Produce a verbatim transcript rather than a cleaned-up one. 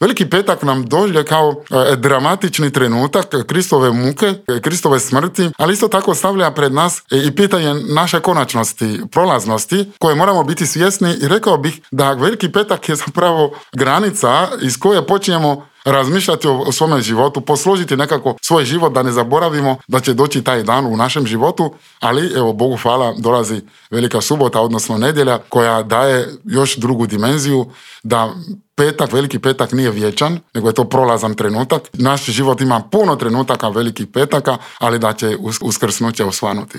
Veliki petak nam dođe kao e, dramatični trenutak Kristove muke, Kristove smrti, ali isto tako stavlja pred nas i pitanje naše konačnosti, prolaznosti, koje moramo biti svjesni i rekao bih da veliki petak je zapravo granica iz koje počinjemo razmišljati o, o svome životu, posložiti nekako svoj život da ne zaboravimo da će doći taj dan u našem životu, ali evo Bogu hvala dolazi Velika subota, odnosno nedjelja koja daje još drugu dimenziju da petak, veliki petak nije vječan, nego je to prolazan trenutak. Naš život ima puno trenutaka velikih petaka, ali da će uskrsnuće osvanuti.